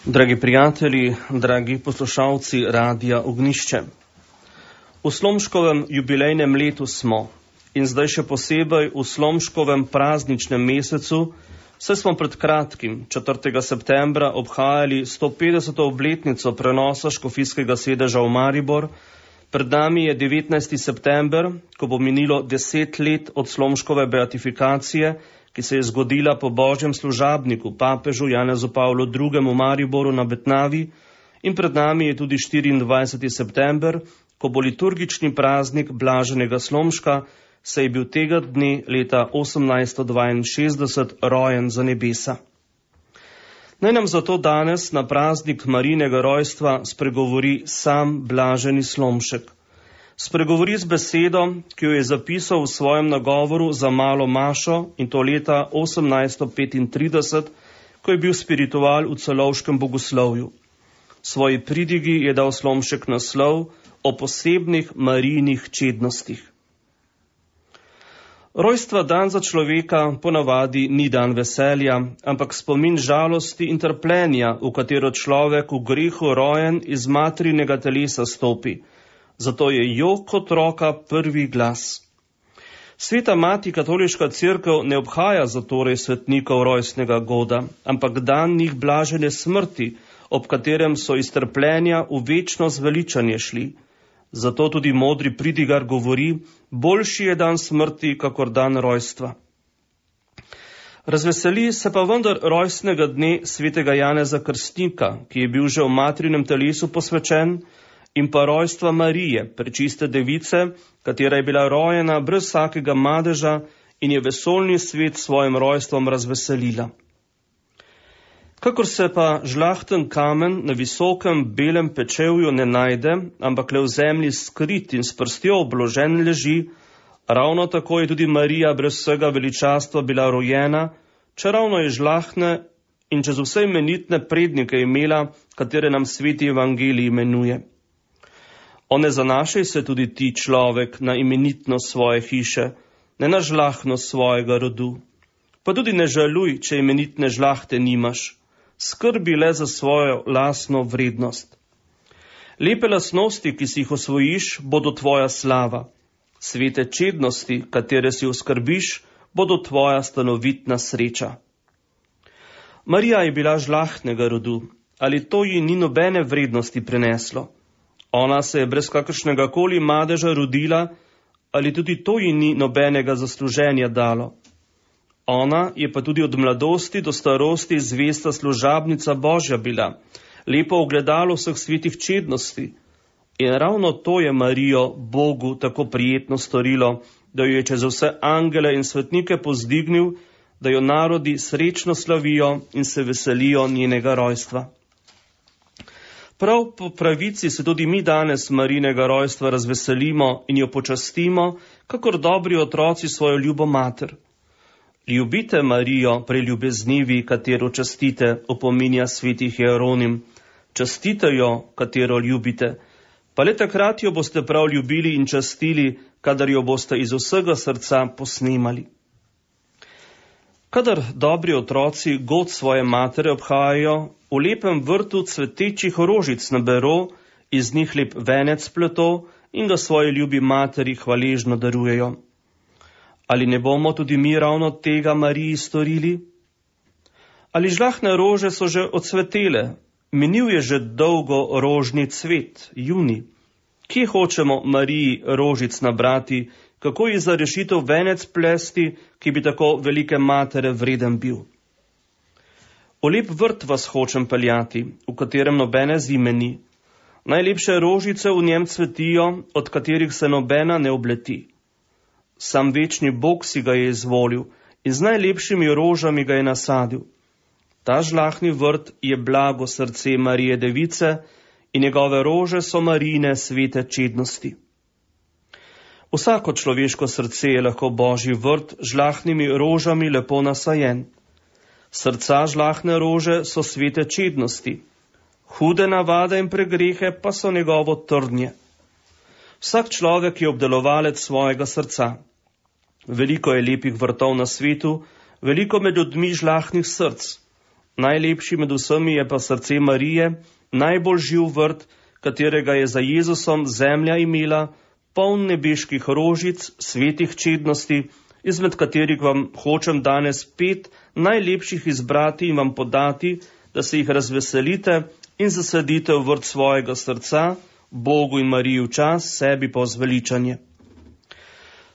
Dragi prijatelji, dragi poslušalci Radia Ognjišče. V Slomškovem jubilejnem letu smo in zdaj še posebej v Slomškovem prazničnem mesecu, saj smo pred kratkim, 4. septembra, obhajali 150. obletnico prenosa škofijskega sedeža v Maribor. Pred nami je 19. september, ko bo minilo 10 let od Slomškove beatifikacije, ki se je zgodila po božjem služabniku, papežu Janezu Pavlu II. V Mariboru na Betnavi, in pred nami je tudi 24. september, ko bo liturgični praznik Blaženega Slomška, saj je bil tega dne leta 1862 rojen za nebesa. Naj nam zato danes na praznik Marijinega rojstva spregovori sam Blaženi Slomšek. Spregovori z besedo, ki jo je zapisal v svojem nagovoru za malo mašo, in to leta 1835, ko je bil spiritual v celovškem bogoslovju. Svoji pridigi je dal Slomšek naslov o posebnih Marijinih čednostih. Rojstva dan za človeka ponavadi ni dan veselja, ampak spomin žalosti in trpljenja, v katero človek v grehu rojen iz materinega telesa stopi. Zato je jok otroka prvi glas. Sveta mati katoliška cerkev ne obhaja zatorej svetnikov rojstnega goda, ampak dan njih blažene smrti, ob katerem so iz trpljenja v večno zveličanje šli. Zato tudi modri pridigar govori, boljši je dan smrti, kakor dan rojstva. Razveseli se pa vendar rojstnega dne svetega Janeza Krstnika, ki je bil že v materinem telesu posvečen, in pa rojstva Marije, prečiste device, katera je bila rojena brez vsakega madeža in je vesoljni svet s svojim rojstvom razveselila. Kakor se pa žlahten kamen na visokem belem pečevju ne najde, ampak le v zemlji skrit in s prstjo obložen leži, ravno tako je tudi Marija brez vsega veličastva bila rojena, čeravno je žlahne in čez vse imenitne prednike imela, katere nam sveti evangelij imenuje. O ne zanašaj se tudi ti, človek, na imenitnost svoje hiše, ne na žlahnost svojega rodu. Pa tudi ne žaluj, če imenitne žlahte nimaš. Skrbi le za svojo lastno vrednost. Lepe lastnosti, ki si jih osvojiš, bodo tvoja slava. Svete čednosti, katere si oskrbiš, bodo tvoja stanovitna sreča. Marija je bila žlahtnega rodu, ali to ji ni nobene vrednosti prineslo. Ona se je brez kakršnega koli madeža rodila, ali tudi to ji ni nobenega zasluženja dalo. Ona je pa tudi od mladosti do starosti zvesta služabnica Božja bila, lepo ogledalo vseh svetih čednosti. In ravno to je Marijo Bogu tako prijetno storilo, da jo je čez vse angele in svetnike pozdignil, da jo narodi srečno slavijo in se veselijo njenega rojstva. Prav po pravici se tudi mi danes Marijinega rojstva razveselimo in jo počastimo, kakor dobri otroci svojo ljubo mater. Ljubite Marijo, preljubeznivi, katero častite, opominja svetih Jeronim. Častite jo, katero ljubite, pa le takrat jo boste prav ljubili in častili, kadar jo boste iz vsega srca posnemali. Kadar dobri otroci god svoje matere obhajajo, v lepem vrtu cvetečih rožic nabero, iz njih lep venec pleto in ga svoji ljubi materi hvaležno darujejo. Ali ne bomo tudi mi ravno tega Mariji storili? Ali žlahne rože so že odcvetele? Minil je že dolgo rožni cvet, juni. Kje hočemo Mariji rožic nabrati, kako ji za rešitev venec plesti, ki bi tako velike matere vreden bil? V lep vrt vas hočem peljati, v katerem nobene zime ni. Najlepše rožice v njem cvetijo, od katerih se nobena ne obleti. Sam večni Bog si ga je izvolil in z najlepšimi rožami ga je nasadil. Ta žlahni vrt je blago srce Marije Device in njegove rože so Marijine svete čednosti. Vsako človeško srce je lahko Božji vrt z žlahnimi rožami lepo nasajen. Srca žlahne rože so svete čednosti, hude navade in pregrehe pa so njegovo trnje. Vsak človek je obdelovalec svojega srca. Veliko je lepih vrtov na svetu, veliko med ljudmi žlahnih src. Najlepši med vsemi je pa srce Marije, najbolj živ vrt, katerega je za Jezusom zemlja imela, poln nebeških rožic, svetih čednosti, izmed katerih vam hočem danes 5 najlepših izbrati in vam podati, da se jih razveselite in zasadite v vrt svojega srca, Bogu in Mariji v čas, sebi pa zveličanje.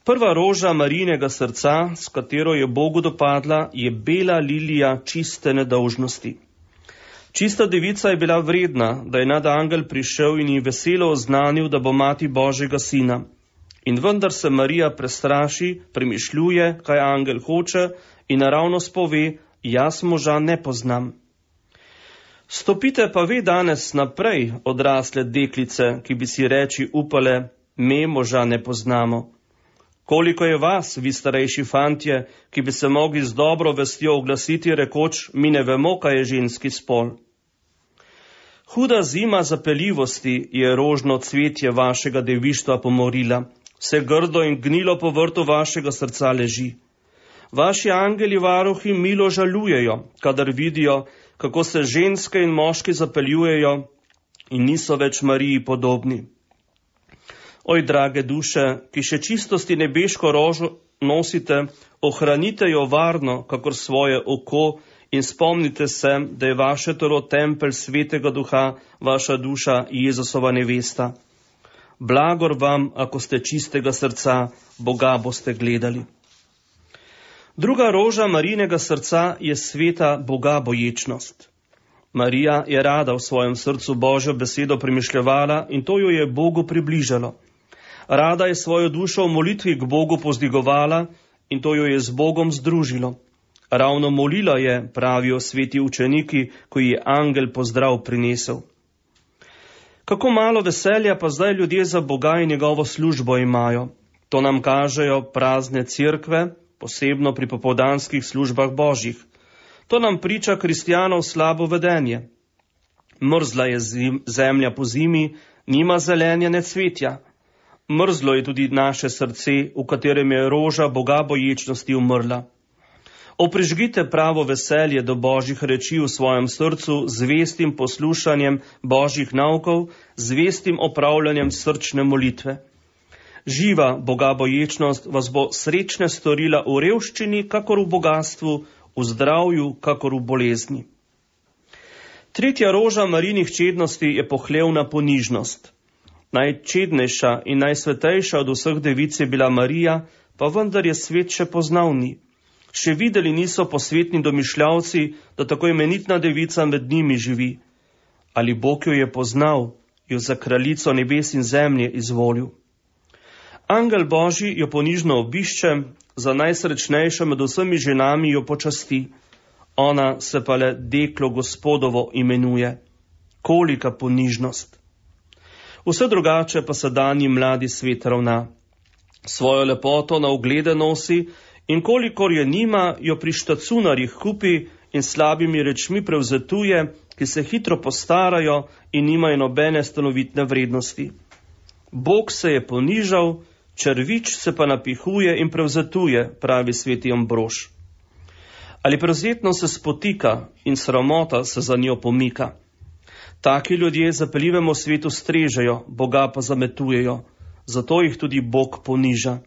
Prva roža Marijinega srca, s katero je Bogu dopadla, je bela lilija čiste nedolžnosti. Čista devica je bila vredna, da je nadangel prišel in ji veselo oznanil, da bo mati Božjega sina. In vendar se Marija prestraši, premišljuje, kaj angel hoče in naravnost pove, jaz moža ne poznam. Stopite pa ve danes naprej, odrasle deklice, ki bi si reči upale, me moža ne poznamo. Koliko je vas, vi starejši fantje, ki bi se mogli z dobro vestjo oglasiti, rekoč, mi ne vemo, kaj je ženski spol. Huda zima zapeljivosti je rožno cvetje vašega devištva pomorila, vse grdo in gnilo po vrtu vašega srca leži. Vaši angeli varuhi milo žalujejo, kadar vidijo, kako se ženske in moški zapeljujejo in niso več Mariji podobni. Oj, drage duše, ki še čistosti nebeško rožo nosite, ohranite jo varno, kakor svoje oko, in spomnite se, da je vaše telo tempelj svetega duha, vaša duša Jezusova nevesta. Blagor vam, ako ste čistega srca, Boga boste gledali. Druga roža Marijinega srca je sveta Boga boječnost. Marija je rada v svojem srcu Božjo besedo premišljevala in to jo je Bogu približalo. Rada je svojo dušo v molitvi k Bogu pozdigovala in to jo je z Bogom združilo. Ravno molila je, pravijo sveti učeniki, ko ji je angel pozdrav prinesel. Kako malo veselja pa zdaj ljudje za Boga in njegovo službo imajo. To nam kažejo prazne cerkve, posebno pri popoldanskih službah božjih. To nam priča kristjanov slabo vedenje. Mrzla je zemlja po zimi, nima zelenja ne cvetja. Mrzlo je tudi naše srce, v katerem je roža Boga boječnosti umrla. Oprižgite pravo veselje do božjih reči v svojem srcu z vestim poslušanjem božjih naukov, z vestim opravljanjem srčne molitve. Živa Boga boječnost vas bo srečne storila v revščini, kakor v bogatstvu, v zdravju, kakor v bolezni. Tretja roža Marijinih čednosti je pohlevna ponižnost. Najčednejša in najsvetejša od vseh devic je bila Marija, pa vendar je svet še poznal ni. Še videli niso posvetni domišljavci, da tako imenitna devica med njimi živi. Ali Bog jo je poznal, jo za kraljico nebes in zemlje izvolil. Angel Božji jo ponižno obišče, za najsrečnejšo med vsemi ženami jo počasti. Ona se pa le deklo Gospodovo imenuje. Kolika ponižnost! Vse drugače pa se danji mladi svet ravna. Svojo lepoto na oglede nosi in kolikor je nima, jo pri štacunarjih kupi in slabimi rečmi prevzetuje, ki se hitro postarajo in nimajo nobene stanovitne vrednosti. Bog se je ponižal, črvič se pa napihuje in prevzetuje, pravi sveti Ambrož. Ali prevzetno se spotika in sramota se za njo pomika. Taki ljudje zapeljivemu svetu strežejo, Boga pa zametujejo, zato jih tudi Bog poniža.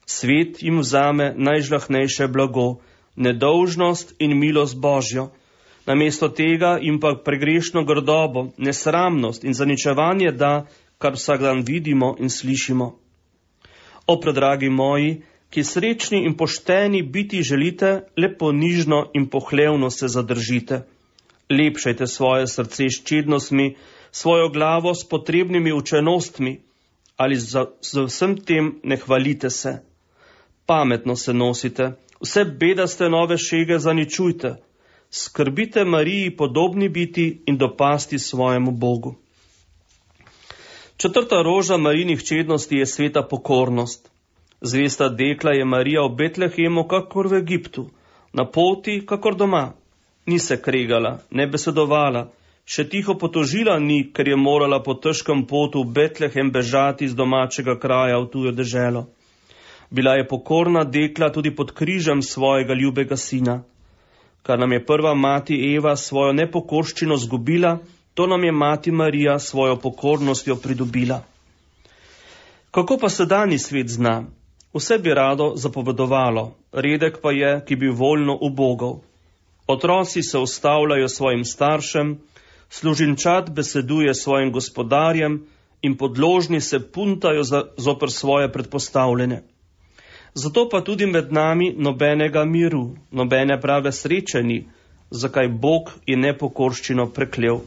Svet jim vzame najžlahnejše blago, nedolžnost in milost Božjo. Namesto tega jim pa pregrešno grdobo, nesramnost in zaničevanje da, kar vsak dan vidimo in slišimo. O, predragi moji, ki srečni in pošteni biti želite, le ponižno in pohlevno se zadržite. Lepšajte svoje srce s čednostmi, svojo glavo s potrebnimi učenostmi, ali za vsem tem ne hvalite se. Pametno se nosite, vse bedaste nove šege zaničujte. Skrbite Mariji podobni biti in dopasti svojemu Bogu. Četrta roža Marijinih čednosti je sveta pokornost. Zvesta dekla je Marija v Betlehemu, kakor v Egiptu, na poti, kakor doma. Ni se kregala, ne besedovala, še tiho potožila ni, ker je morala po težkem potu v Betlehem bežati iz domačega kraja v tujo deželo. Bila je pokorna dekla tudi pod križem svojega ljubega sina. Kar nam je prva mati Eva svojo nepokorščino zgubila, to nam je mati Marija svojo pokornostjo pridobila. Kako pa sedanji svet zna? Vse bi rado zapovedovalo, redek pa je, ki bi voljno ubogal. Otroci se ustavljajo svojim staršem, služinčad beseduje svojim gospodarjem in podložni se puntajo zoper svoje predpostavljene. Zato pa tudi med nami nobenega miru, nobene prave sreče ni, zakaj Bog je nepokorščino preklel.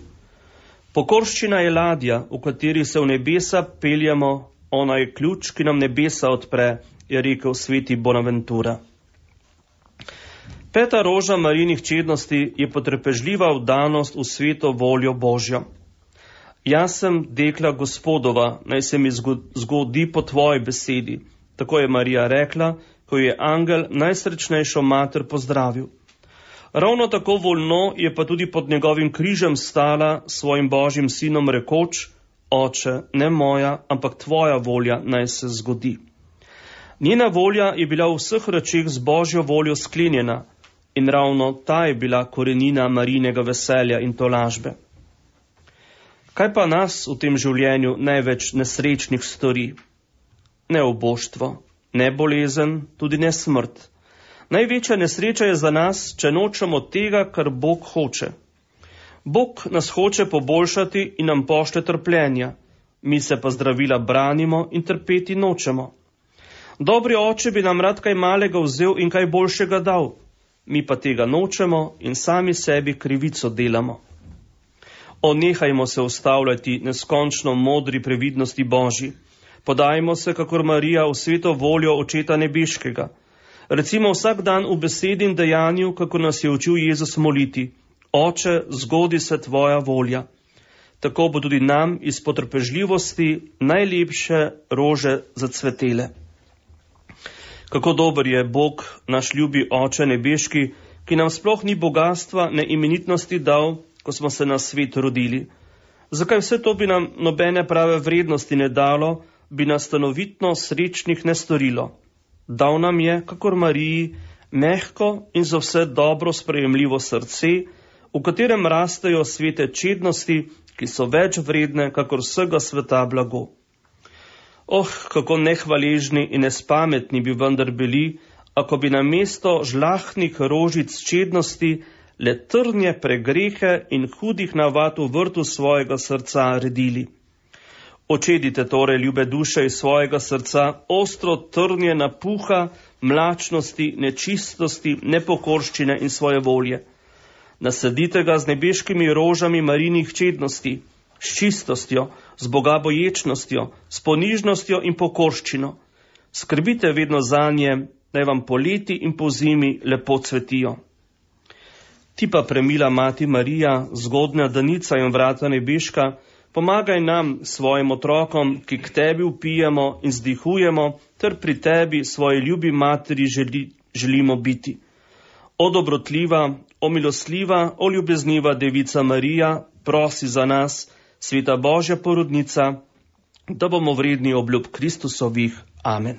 Pokorščina je ladja, v kateri se v nebesa peljemo, ona je ključ, ki nam nebesa odpre, je rekel sveti Bonaventura. Peta roža Marijinih čednosti je potrpežljiva vdanost v sveto voljo Božjo. Jaz sem dekla Gospodova, naj se mi zgodi po tvoji besedi. Tako je Marija rekla, ko je angel najsrečnejšo mater pozdravil. Ravno tako voljno je pa tudi pod njegovim križem stala svojim Božjim sinom rekoč: Oče, ne moja, ampak tvoja volja naj se zgodi. Njena volja je bila v vseh rečeh z Božjo voljo sklenjena in ravno ta je bila korenina Marijinega veselja in tolažbe. Kaj pa nas v tem življenju največ nesrečnih stori? Ne oboštvo, ne bolezen, tudi ne smrt. Največja nesreča je za nas, če nočemo tega, kar Bog hoče. Bog nas hoče poboljšati in nam pošlje trpljenja, mi se pa zdravila branimo in trpeti nočemo. Dobri oče bi nam rad kaj malega vzel in kaj boljšega dal, mi pa tega nočemo in sami sebi krivico delamo. Nehajmo se ustavljati neskončno modri previdnosti Božji. Podajmo se, kakor Marija, v sveto voljo Očeta nebeškega. Recimo vsak dan v besedi in dejanju, kako nas je učil Jezus moliti: Oče, zgodi se tvoja volja. Tako bo tudi nam iz potrpežljivosti najlepše rože zacvetele. Kako dober je Bog, naš ljubi Oče nebeški, ki nam sploh ni bogatstva ne imenitnosti dal, ko smo se na svet rodili. Zakaj vse to bi nam nobene prave vrednosti ne dalo, bi nas stanovitno srečnih ne storilo? Dal nam je, kakor Mariji, mehko in za vse dobro sprejemljivo srce, v katerem rastejo svete čednosti, ki so več vredne, kakor vsega sveta blago. Kako nehvaležni in nespametni bi vendar bili, ako bi namesto žlahtnih rožic čednosti le trnje pregrehe in hudih navad v vrtu svojega srca redili. Očedite torej, ljube duše, iz svojega srca ostro trnje napuha, mlačnosti, nečistosti, nepokorščine in svoje volje. Nasadite ga z nebeškimi rožami Marijinih čednosti, s čistostjo, z bogaboječnostjo, s ponižnostjo in pokorščino. Skrbite vedno zanje, naj vam poleti in pozimi lepo cvetijo. Ti pa, premila mati Marija, zgodnja danica in vrata nebeška, pomagaj nam, svojim otrokom, ki k tebi vpijemo in zdihujemo, ter pri tebi, svoji ljubi materi, želimo biti. O dobrotljiva, o milostljiva, o ljubezniva devica Marija, prosi za nas, sveta Božja porodnica, da bomo vredni obljub Kristusovih. Amen.